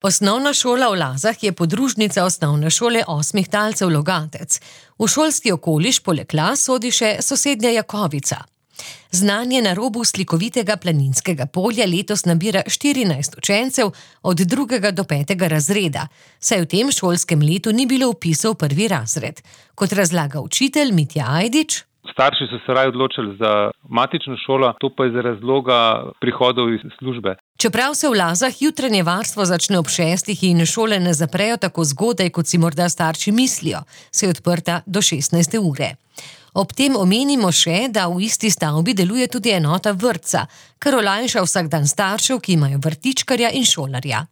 Osnovna šola v Lazah je podružnica osnovne šole Osmih talcev Logatec. V šolski okoliš poleg Laz sodi še sosednja Jakovica. Znanje na robu slikovitega planinskega polja letos nabira 14 učencev od 2. do 5. razreda, saj v tem šolskem letu ni bilo vpisov v 1. razred. Kot razlaga učitelj Mitja Ajdič: Starši so se raje odločili za matično šolo, to pa je za razloga prihodov iz službe. Čeprav se v Lazah jutranje varstvo začne ob 6. in šole ne zaprejo tako zgodaj, kot si morda starši mislijo, se je odprta do 16. ure. Ob tem omenimo še, da v isti stavbi deluje tudi enota vrtca, kar olajša vsak dan staršev, ki imajo vrtičkarja in šolarja.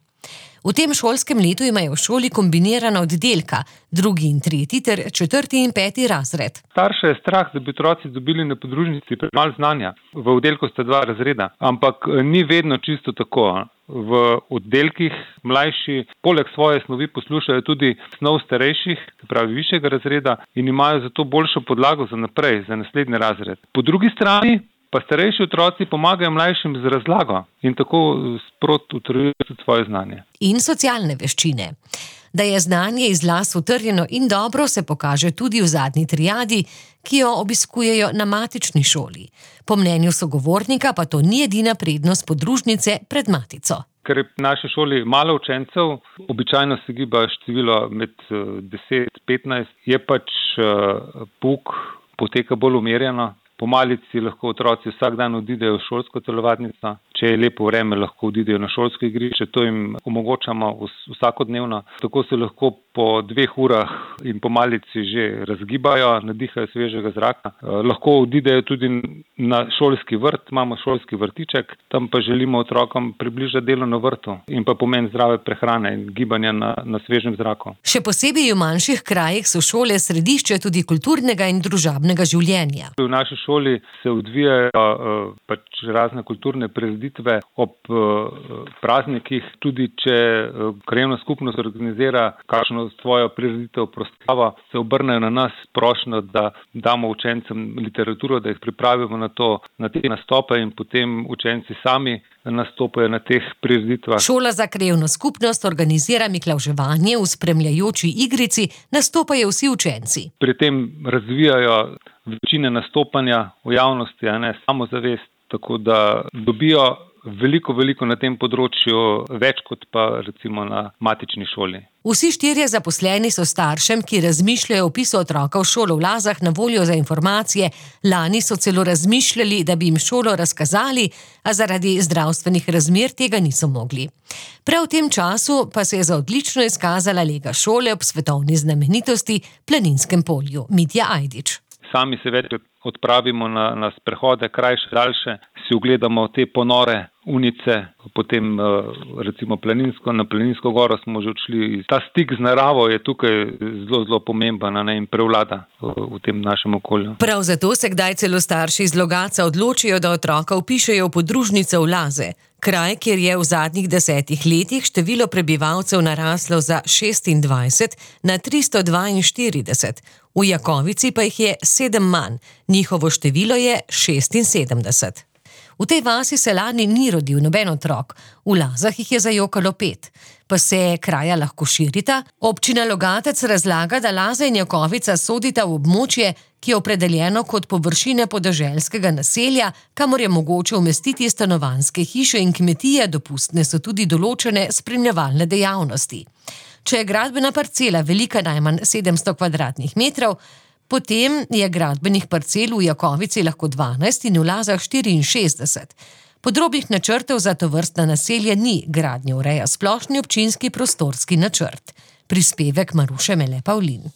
V tem šolskem letu imajo v šoli kombinirana oddelka, 2. in 3. ter 4. in 5. razred. Starše je strah, da bi otroci dobili na podružnici premalo znanja. V oddelku sta 2 razreda, ampak ni vedno čisto tako. V oddelkih mlajši poleg svoje snovi poslušajo tudi snov starejših, se pravi višjega razreda, in imajo zato boljšo podlago za naprej, za naslednji razred. Po drugi strani pa starejši otroci pomagajo mlajšim z razlago in tako sprot utrjujejo tudi svoje znanje. In socialne veščine. Da je znanje iz Laz utrjeno in dobro, se pokaže tudi v zadnji triadi, ki jo obiskujejo na matični šoli. Po mnenju sogovornika pa to ni edina prednost podružnice pred matico. Ker je v naši šoli malo učencev, običajno se giba število med 10-15, je pač pouk poteka bolj umirjeno. Po malici lahko otroci vsak dan odidejo v šolsko telovadnico, če je lepo vreme, lahko odidejo na šolsko igrišče, to jim omogočamo vsakodnevno. Tako se lahko po 2 urah in po malici že razgibajo, nadihajo svežega zraka. Lahko odidejo tudi na šolski vrt, imamo šolski vrtiček, tam pa želimo otrokom približati delo na vrtu in pa pomen zdrave prehrane in gibanja na svežem zraku. Še posebej v manjših krajih so šole središče tudi kulturnega in družabnega življenja. V naši šoli se odvijajo razne kulturne prireditve ob praznikih, tudi če krajevna skupnost organizira kakšno svojo prireditev, proslavo, se obrnejo na nas prošnjo, da damo učencem literaturo, da jih pripravimo na te nastope in potem učenci sami nastopajo na teh prireditvah. Šola za krajevno skupnost organizira miklavževanje, v spremljajoči igrici nastopajo vsi učenci. Pri tem razvijajo večine nastopanja v javnosti, samozavest, tako da dobijo veliko na tem področju, več kot pa recimo na matični šoli. Vsi 4 zaposleni so staršem, ki razmišljajo o vpisu otroka v šolo v Lazah, na voljo za informacije. Lani so celo razmišljali, da bi jim šolo razkazali, a zaradi zdravstvenih razmer tega niso mogli. Prav v tem času pa se je za odlično izkazala lega šole ob svetovni znamenitosti Planinskem polju. Mitja Ajdič. Sami se več odpravimo na sprehode, krajše, daljše, si ogledamo te ponore unice, potem recimo na Planinsko goro smo že odšli. Ta stik z naravo je tukaj zelo pomemben in prevlada v tem našem okolju. Prav zato se kdaj celo starši iz Logatca odločijo, da otroka vpišejo v podružnico v Laze. Kraj, kjer je v zadnjih 10 letih število prebivalcev naraslo za 26 na 342, v Jakovici pa jih je 7 manj, njihovo število je 76. V tej vasi se lani ni rodil noben otrok, v Lazah jih je zajokalo 5. Pa se kraja lahko širita? Občina Logatec razlaga, da Laze in Jakovica sodita v območje, ki je opredeljeno kot površine podeželskega naselja, kamor je mogoče umestiti stanovanjske hiše in kmetije, dopustne so tudi določene spremljevalne dejavnosti. Če je gradbena parcela velika najmanj 700 kvadratnih metrov, potem je gradbenih parcel v Jakovici lahko 12 in v Lazah 64. Podrobnih načrtov za tovrstna naselja ni, gradnjo ureja splošni občinski prostorski načrt. Prispevek Maruše Mele Pavlin.